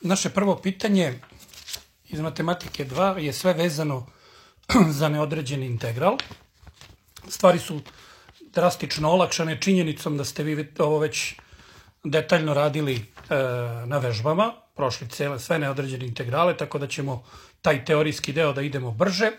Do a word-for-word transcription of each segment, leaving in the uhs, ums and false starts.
Naše prvo pitanje iz matematike dva je sve vezano za neodređeni integral. Stvari su drastično olakšane činjenicom da ste vi ovo već detaljno radili e, na vežbama, prošli cele, sve neodređene integrale, tako da ćemo taj teorijski deo da idemo brže.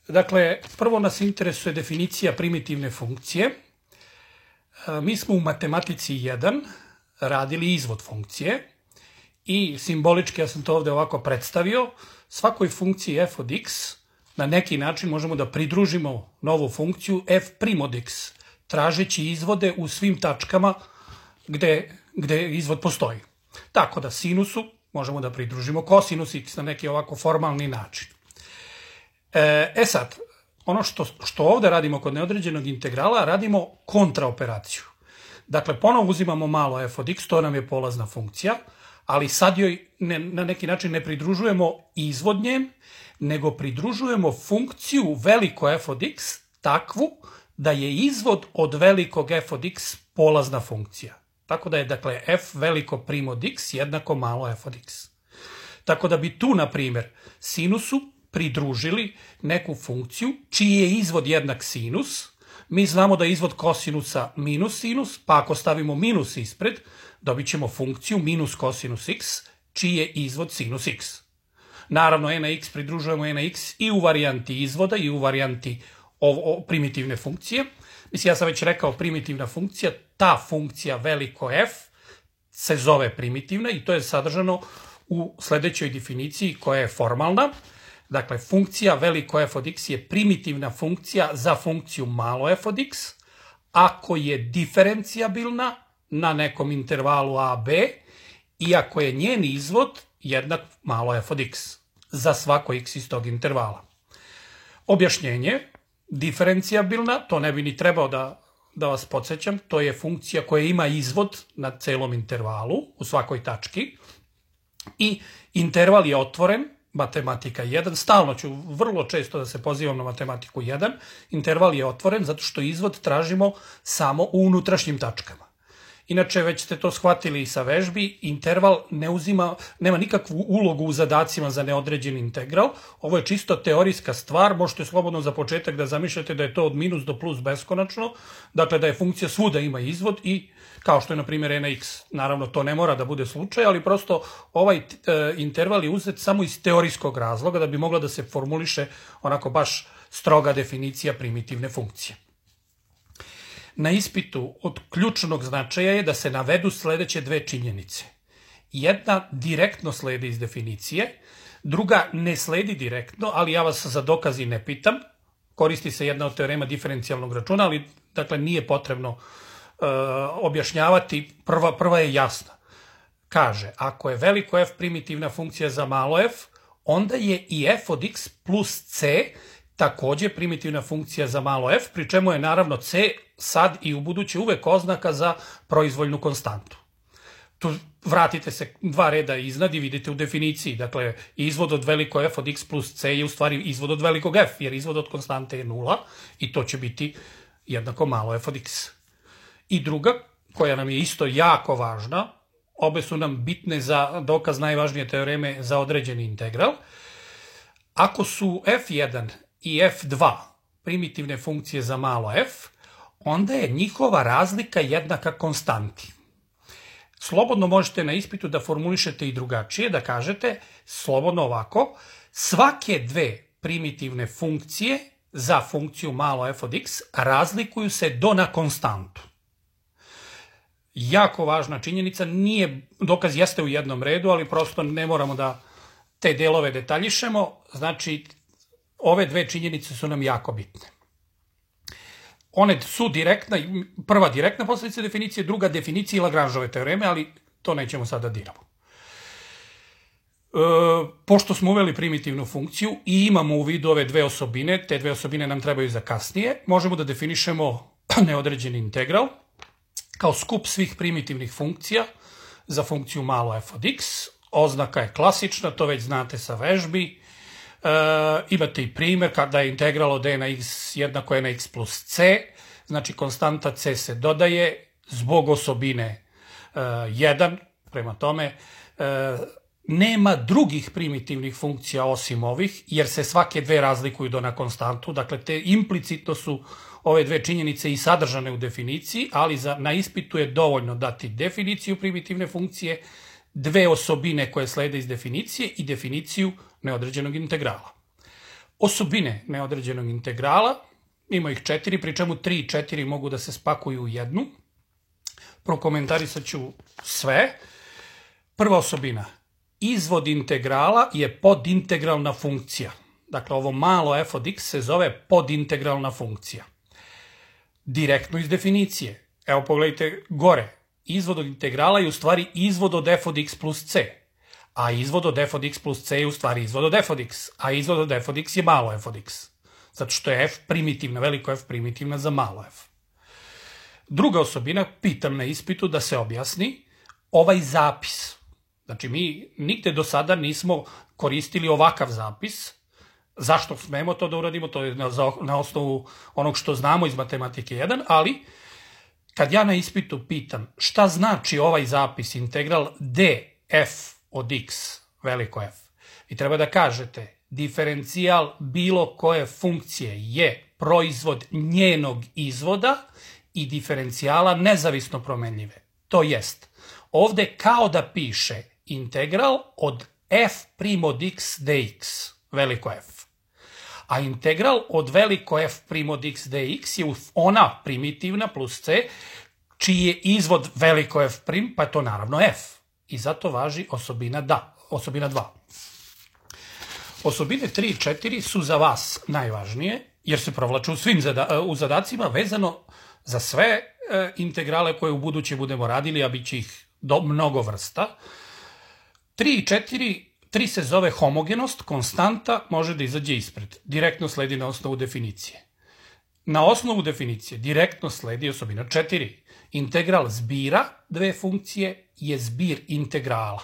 Dakle, prvo nas interesuje definicija primitivne funkcije. E, mi smo u matematici jedan radili izvod funkcije i simbolički, ja sam to ovde ovako predstavio, svakoj funkciji f od x na neki način možemo da pridružimo novu funkciju f prim od x, tražeći izvode u svim tačkama gde, gde izvod postoji. Tako da sinusu možemo da pridružimo kosinus x na neki ovako formalni način. E, e sad, ono što, što ovde radimo kod neodređenog integrala, radimo kontraoperaciju. Dakle, ponovo uzimamo malo f od x, to nam je polazna funkcija, ali sad joj ne, na neki način ne pridružujemo izvod njem, nego pridružujemo funkciju veliko f od x takvu da je izvod od velikog f od x polazna funkcija. Tako da je, dakle, f veliko prim od x jednako malo f od x. Tako da bi tu, na primjer, sinusu pridružili neku funkciju čiji je izvod jednak sinus. Mi znamo da je izvod kosinusa minus sinus, pa ako stavimo minus ispred, dobit ćemo funkciju minus kosinus x, čiji je izvod sinus x. Naravno, e na x pridružujemo e na x i u varijanti izvoda i u varijanti o, o, primitivne funkcije. Mislim, ja sam već rekao primitivna funkcija, ta funkcija veliko f se zove primitivna i to je sadržano u sledećoj definiciji koja je formalna. Dakle, funkcija veliko f od x je primitivna funkcija za funkciju malo f od x, ako je diferencijabilna na nekom intervalu a b i ako je njen izvod jednak malo f od x za svako x iz tog intervala. Objašnjenje, diferencijabilna, to ne bi ni trebao da, da vas podsjećam, to je funkcija koja ima izvod na celom intervalu u svakoj tački i interval je otvoren, matematika jedan, stalno ću vrlo često da se pozivam na matematiku jedan, interval je otvoren zato što izvod tražimo samo u unutrašnjim tačkama. Inače, već ste to shvatili i sa vežbi, interval ne uzima, nema nikakvu ulogu u zadacima za neodređeni integral. Ovo je čisto teorijska stvar, možete slobodno za početak da zamišljate da je to od minus do plus beskonačno, dakle da je funkcija svuda ima izvod i kao što je na primjer e na x. Naravno, to ne mora da bude slučaj, ali prosto ovaj e, interval je uzet samo iz teorijskog razloga da bi mogla da se formuliše onako baš stroga definicija primitivne funkcije. Na ispitu od ključnog značaja je da se navedu sledeće dve činjenice. Jedna direktno sledi iz definicije, druga ne sledi direktno, ali ja vas za dokazi ne pitam. Koristi se jedna od teorema diferencijalnog računa, ali dakle nije potrebno uh, objašnjavati. Prva, prva je jasna. Kaže, ako je veliko f primitivna funkcija za malo f, onda je i f od x plus c takođe primitivna funkcija za malo f, pri čemu je naravno c sad i u buduće uvek oznaka za proizvoljnu konstantu. Tu vratite se dva reda iznad i vidite u definiciji, dakle izvod od veliko f od x plus c je u stvari izvod od velikog f, jer izvod od konstante je nula i to će biti jednako malo f od x. I druga, koja nam je isto jako važna, obe su nam bitne za dokaz najvažnije teoreme za određeni integral, ako su f jedan i f dva primitivne funkcije za malo f, onda je njihova razlika jednaka konstanti. Slobodno možete na ispitu da formulišete i drugačije, da kažete slobodno ovako, svake dve primitivne funkcije za funkciju malo f od x razlikuju se do na konstantu. Jako važna činjenica, nije, dokaz jeste u jednom redu, ali prosto ne moramo da te delove detaljišemo, znači ove dve činjenice su nam jako bitne. One su direktna, prva direktna posledica definicije, druga definicija Lagrangeove teoreme, ali to nećemo sada diramo. E, pošto smo uveli primitivnu funkciju i imamo u vidu ove dve osobine, te dve osobine nam trebaju za kasnije, možemo da definišemo neodređeni integral kao skup svih primitivnih funkcija za funkciju malo f od x. Oznaka je klasična, to već znate sa vežbi. Uh, imate i primjer kada je integral od e na x jednako e na x plus c, znači konstanta c se dodaje zbog osobine uh, jedan, prema tome nema drugih primitivnih funkcija osim ovih, jer se svake dve razlikuju do na konstantu. Dakle, te implicitno su ove dve činjenice i sadržane u definiciji, ali za, na ispitu je dovoljno dati definiciju primitivne funkcije, dve osobine koje slede iz definicije i definiciju neodređenog integrala. Osobine neodređenog integrala, ima ih četiri, pri čemu tri i četiri mogu da se spakuju u jednu. Prokomentarisat ću sve. Prva osobina. Izvod integrala je podintegralna funkcija. Dakle, ovo malo f od x se zove podintegralna funkcija. Direktno iz definicije. Evo, pogledajte gore. Izvod od integrala je u stvari izvod od f od x plus c. A izvod od f od x plus c je u stvari izvod od f od x. A izvod od f od x je malo f od x. Zato što je f primitivna, veliko f primitivna za malo f. Druga osobina, pitam na ispitu da se objasni, ovaj zapis. Znači, mi nigde do sada nismo koristili ovakav zapis. Zašto smemo to da uradimo? To je na, na osnovu onog što znamo iz matematike jedan, ali kad ja na ispitu pitam šta znači ovaj zapis integral df od x, veliko f, vi treba da kažete diferencijal bilo koje funkcije je proizvod njenog izvoda i diferencijala nezavisno promenljive. To jest, ovde kao da piše integral od f prim od x dx, veliko f. A integral od veliko f prim od x dx je ona primitivna plus c, čiji je izvod veliko f prim, pa je to naravno f. I zato važi osobina da, osobina dva. Osobine tri i četiri su za vas najvažnije, jer se provlaču u svim zada, u zadacima vezano za sve e, integrale koje u buduće budemo radili, a bit će ih do mnogo vrsta. tri i četiri, tri se zove homogenost, konstanta može da izađe ispred. Direktno sledi na osnovu definicije. Na osnovu definicije direktno sledi osobina četiri. Integral zbira dve funkcije je zbir integrala.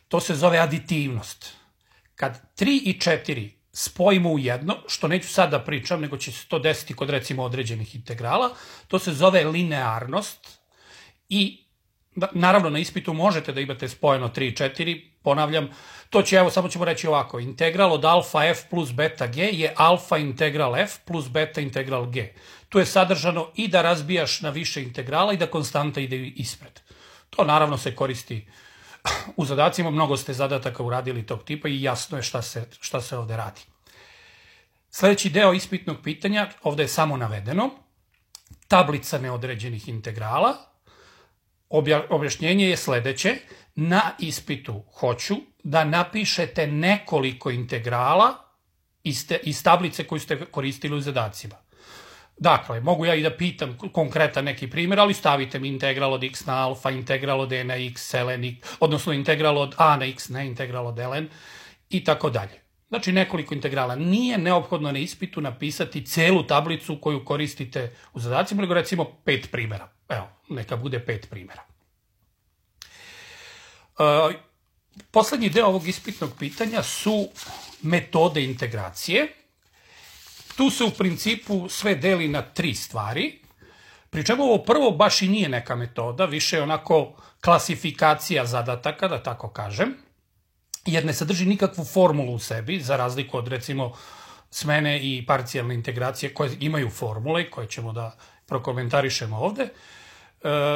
To se zove aditivnost. Kad tri i četiri spojimo u jedno, što neću sad da pričam, nego će se to desiti kod recimo određenih integrala, to se zove linearnost i naravno na ispitu možete da imate spojeno tri i četiri, ponavljam, to će, evo samo ćemo reći ovako, integral od alfa f plus beta g je alfa integral f plus beta integral g. Tu je sadržano i da razbijaš na više integrala i da konstanta ide ispred. To naravno se koristi u zadacima, mnogo ste zadataka uradili tog tipa i jasno je šta se, šta se ovde radi. Sljedeći deo ispitnog pitanja, ovde je samo navedeno, tablica neodređenih integrala. Objašnjenje je sledeće, na ispitu hoću da napišete nekoliko integrala iz, te, iz tablice koju ste koristili u zadacima. Dakle, mogu ja i da pitam konkretan neki primjer, ali stavite mi integral od x na alfa, integral od e na x, ln, odnosno integral od a na x, ne integral od ln i tako dalje. Znači nekoliko integrala. Nije neophodno na ispitu napisati celu tablicu koju koristite u zadacima, nego recimo pet primjera. Evo, neka bude pet primjera. Uh, poslednji deo ovog ispitnog pitanja su metode integracije. Tu se u principu sve deli na tri stvari, pri čemu ovo prvo baš i nije neka metoda, više je onako klasifikacija zadataka, da tako kažem, jer ne sadrži nikakvu formulu u sebi, za razliku od recimo smene i parcijalne integracije koje imaju formule, koje ćemo da prokomentarišemo ovde.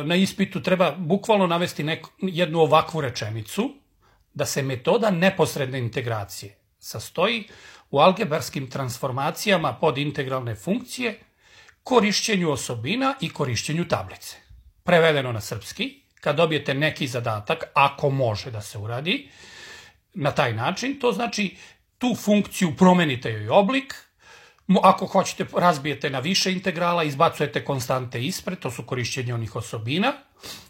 Na ispitu treba bukvalno navesti neku, jednu ovakvu rečenicu, da se metoda neposredne integracije sastoji u algebarskim transformacijama pod integralne funkcije, korišćenju osobina i korišćenju tablice. Prevedeno na srpski, kad dobijete neki zadatak, ako može da se uradi, na taj način, to znači tu funkciju promenite joj oblik, ako hoćete razbijete na više integrala, izbacujete konstante ispred, to su korišćenje onih osobina,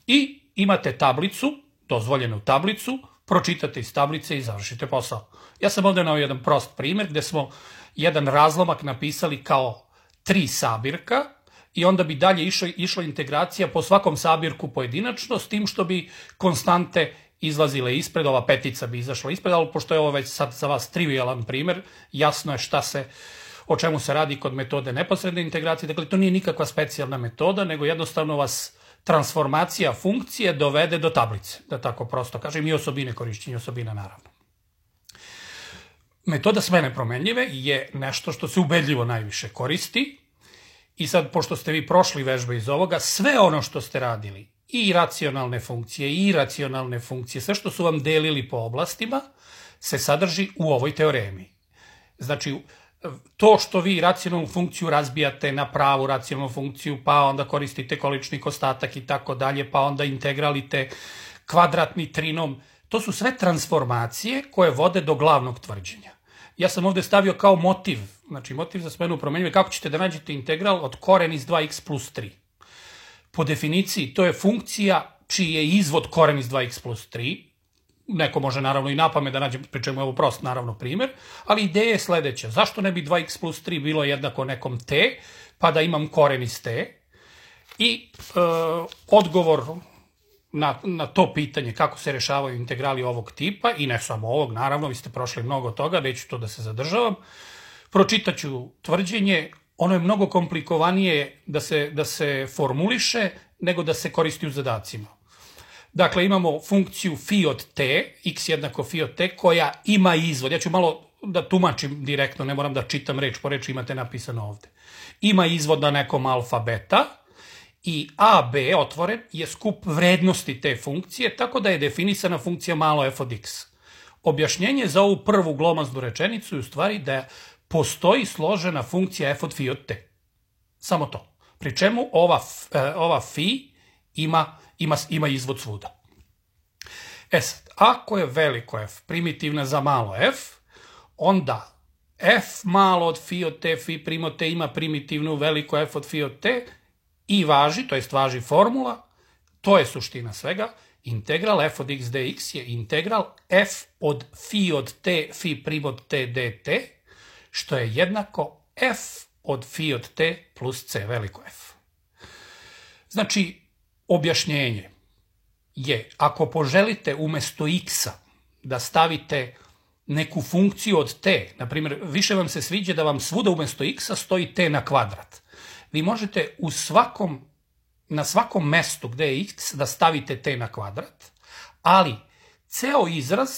i imate tablicu, dozvoljenu tablicu, pročitate iz tablice i završite posao. Ja sam ovdje nao jedan prost primjer gde smo jedan razlomak napisali kao tri sabirka i onda bi dalje išla, išla integracija po svakom sabirku pojedinačno, s tim što bi konstante izlazile ispred, ova petica bi izašla ispred, ali pošto je ovo već sad za vas trivialan primjer, jasno je šta se, o čemu se radi kod metode neposredne integracije. Dakle, to nije nikakva specijalna metoda, nego jednostavno vas transformacija funkcije dovede do tablice, da tako prosto kažem, i osobine korišćenja osobina naravno. Metoda smene promenljive je nešto što se ubedljivo najviše koristi i sad, pošto ste vi prošli vežbe iz ovoga, sve ono što ste radili, i racionalne funkcije, i iracionalne funkcije, sve što su vam delili po oblastima, se sadrži u ovoj teoremi. Znači, to što vi racionalnu funkciju razbijate na pravu racionalnu funkciju, pa onda koristite količnik, ostatak i tako dalje, pa onda integralite kvadratni trinom, to su sve transformacije koje vode do glavnog tvrđenja. Ja sam ovde stavio kao motiv, znači motiv za smenu promenljive, kako ćete da nađete integral od koren iz dva x plus tri. Po definiciji, to je funkcija čiji je izvod koren iz dva x plus tri, neko može naravno i napamet da nađe, pri čemu je ovo prost naravno primer, ali ideja je sledeća, zašto ne bi dva x plus tri bilo jednako nekom t, pa da imam koren iz t, i e, odgovor na, na to pitanje kako se rešavaju integrali ovog tipa, i ne samo ovog, naravno, vi ste prošli mnogo toga, neću to da se zadržavam, pročitaću tvrđenje, ono je mnogo komplikovanije da se, da se formuliše nego da se koristi u zadacima. Dakle, imamo funkciju phi od t, x jednako phi od t, koja ima izvod. Ja ću malo da tumačim direktno, ne moram da čitam reč po reč, imate napisano ovde. Ima izvod na nekom alfa beta i a, b, otvoren, je skup vrednosti te funkcije, tako da je definisana funkcija malo f od x. Objašnjenje za ovu prvu glomaznu rečenicu je u stvari da postoji složena funkcija f od phi od t. Samo to. Pri čemu ova, ova phi ima, ima, ima izvod svuda. E sad, ako je veliko f primitivna za malo f, onda f malo od phi od t, phi prim od t ima primitivnu veliko f od phi od t i važi, to jest važi formula, to je suština svega, integral f od x dx je integral f od phi od t, phi prim od t dt, što je jednako f od phi od t plus c veliko f. Znači, objašnjenje je, ako poželite umesto x-a da stavite neku funkciju od t, na primjer, više vam se sviđa da vam svuda umesto x-a stoji t na kvadrat. Vi možete u svakom, na svakom mestu gde je x da stavite t na kvadrat, ali ceo izraz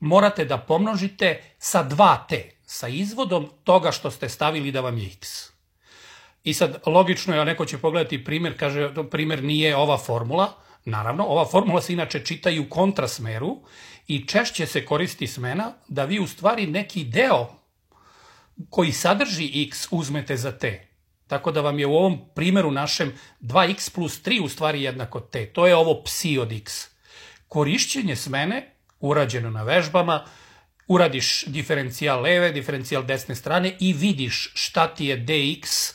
morate da pomnožite sa dva t, sa izvodom toga što ste stavili da vam je x. I sad, logično je, a neko će pogledati primjer, kaže, primjer nije ova formula. Naravno, ova formula se inače čita i u kontrasmeru i češće se koristi smena da vi u stvari neki deo koji sadrži x uzmete za t. Tako da vam je u ovom primjeru našem dva x plus tri u stvari jednako t. To je ovo psi od x. Korišćenje smene, urađeno na vežbama, uradiš diferencijal leve, diferencijal desne strane i vidiš šta ti je dx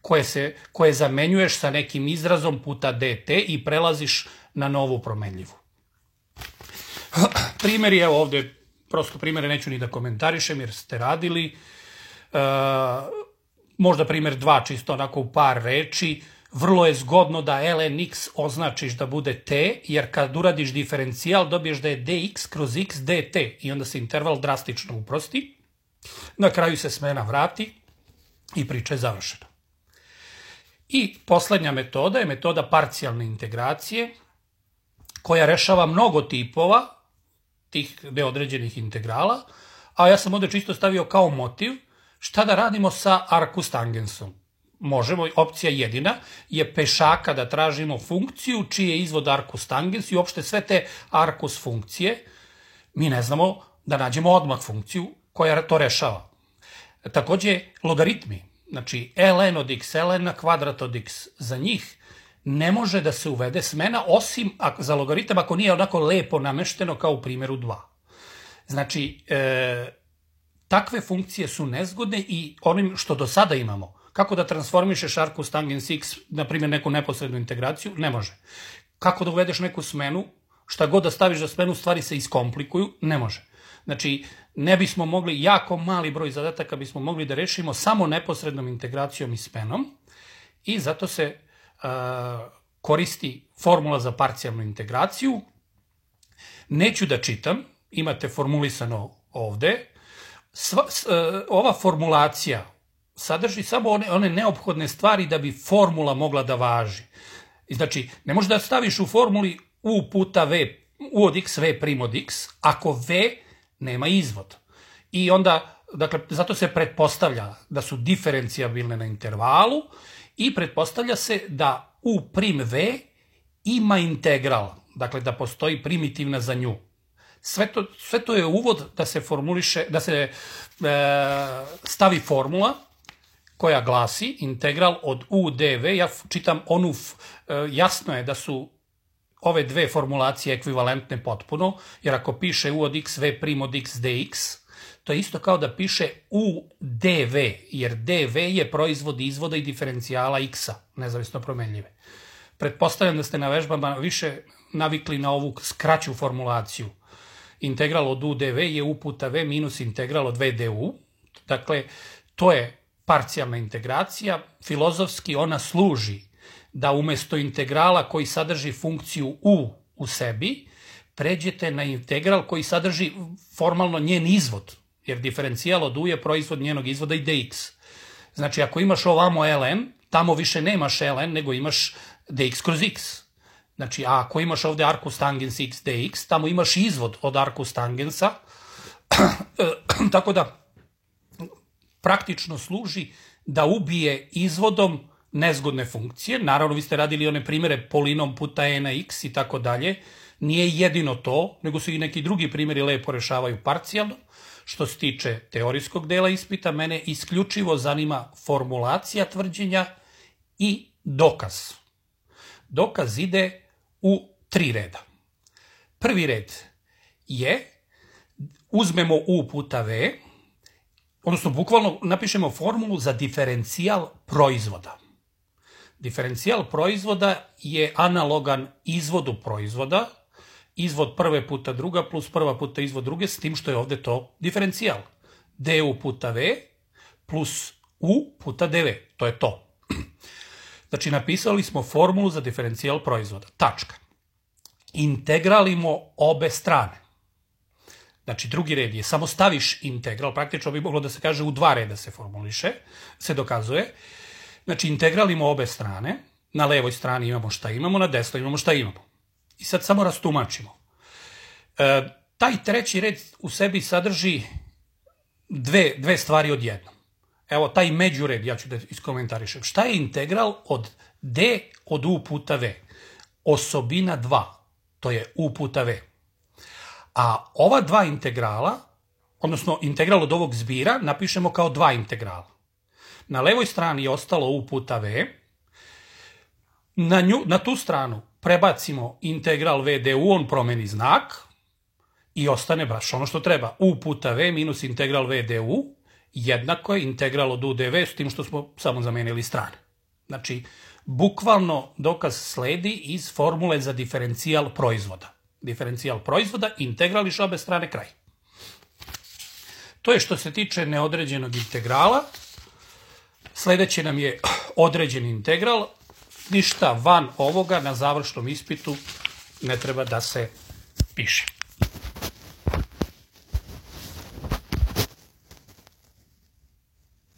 koje, se, koje zamenjuješ sa nekim izrazom puta dt i prelaziš na novu promenljivu. Primjer je ovde, prosto primjere neću ni da komentarišem jer ste radili. E, možda primjer dva, čisto onako u par reči. Vrlo je zgodno da ln x označiš da bude t, jer kad uradiš diferencijal dobiješ da je dx kroz x dt i onda se interval drastično uprosti. Na kraju se smena vrati i priča je završena. I poslednja metoda je metoda parcijalne integracije, koja rešava mnogo tipova tih neodređenih integrala, a ja sam ovde čisto stavio kao motiv šta da radimo sa arcus tangensom. Možemo, opcija jedina je pešaka da tražimo funkciju čiji je izvod arcus tangens i uopšte sve te arcus funkcije, mi ne znamo da nađemo odmah funkciju koja to rešava. Takođe, logaritmi, znači ln od x, ln na kvadrat od x, za njih ne može da se uvede smena, osim za logaritam ako nije onako lepo namešteno kao u primjeru dva. Znači, e, takve funkcije su nezgodne i onim što do sada imamo, kako da transformišeš arcus tangens x, na primjer neku neposrednu integraciju, ne može. Kako da uvedeš neku smenu, šta god da staviš za smenu, stvari se iskomplikuju, ne može. Znači, ne bismo mogli, jako mali broj zadataka bismo mogli da rešimo samo neposrednom integracijom i smenom i zato se uh, koristi formula za parcijalnu integraciju. Neću da čitam, imate formulisano ovde. Sva, s, uh, ova formulacija sadrži samo one, one neophodne stvari da bi formula mogla da važi. Znači, ne možeš da staviš u formuli u puta v, u od x, v prim od x, ako v nema izvod. I onda, dakle, zato se pretpostavlja da su diferencijabilne na intervalu i pretpostavlja se da u prim v ima integral, dakle, da postoji primitivna za nju. Sve to, sve to je uvod da se formuliše, da se e, stavi formula koja glasi integral od u dv, ja čitam onu, e, jasno je da su ove dve formulacije ekvivalentne potpuno, jer ako piše u od x, v prim od x dx, to je isto kao da piše u dv, jer dv je proizvod izvoda i diferencijala x-a, nezavisno promenljive. Pretpostavljam da ste na vežbama više navikli na ovu skraću formulaciju. Integral od u dv je u puta v minus integral od v du. Dakle, to je parcijalna integracija. Filozofski ona služi da umjesto integrala koji sadrži funkciju u u sebi, pređete na integral koji sadrži formalno njen izvod, jer diferencijal od u je proizvod njenog izvoda i dx. Znači, ako imaš ovamo ln, tamo više nemaš ln, nego imaš dx kroz x. Znači, a ako imaš ovde arcus tangens x dx, tamo imaš izvod od arcus tangensa, tako da praktično služi da ubije izvodom nezgodne funkcije. Naravno, vi ste radili one primjere polinom puta e na x i tako dalje. Nije jedino to, nego su i neki drugi primjeri lepo rešavaju parcijalno. Što se tiče teorijskog dela ispita, mene isključivo zanima formulacija tvrđenja i dokaz. Dokaz ide u tri reda. Prvi red je, uzmemo u puta v, odnosno bukvalno napišemo formulu za diferencijal proizvoda. Diferencijal proizvoda je analogan izvodu proizvoda, izvod prve puta druga plus prva puta izvod druge, s tim što je ovde to diferencijal. du puta v plus u puta dv, to je to. Znači, napisali smo formulu za diferencijal proizvoda. Tačka. Integralimo obe strane. Znači, drugi red je, samo staviš integral, praktično bi moglo da se kaže u dva reda se formuliše, se dokazuje. Znači, integralimo obe strane, na levoj strani imamo šta imamo, na desnoj imamo šta imamo. I sad samo rastumačimo. E, taj treći red u sebi sadrži dve, dve stvari odjednom. Evo, taj međured, ja ću da iskomentarišem. Šta je integral od d od u puta v? Osobina dva, to je u puta v. A ova dva integrala, odnosno integral od ovog zbira, napišemo kao dva integrala. Na levoj strani je ostalo u puta v, na, nju, na tu stranu prebacimo integral v du, on promeni znak i ostane baš ono što treba. U puta v minus integral v du jednako je integral od u dv, s tim što smo samo zamenili strane. Znači, bukvalno dokaz sledi iz formule za diferencijal proizvoda. Diferencijal proizvoda, integrališ obe strane, kraj. To je što se tiče neodređenog integrala. Sledeće nam je određeni integral. Ništa van ovoga na završnom ispitu ne treba da se piše.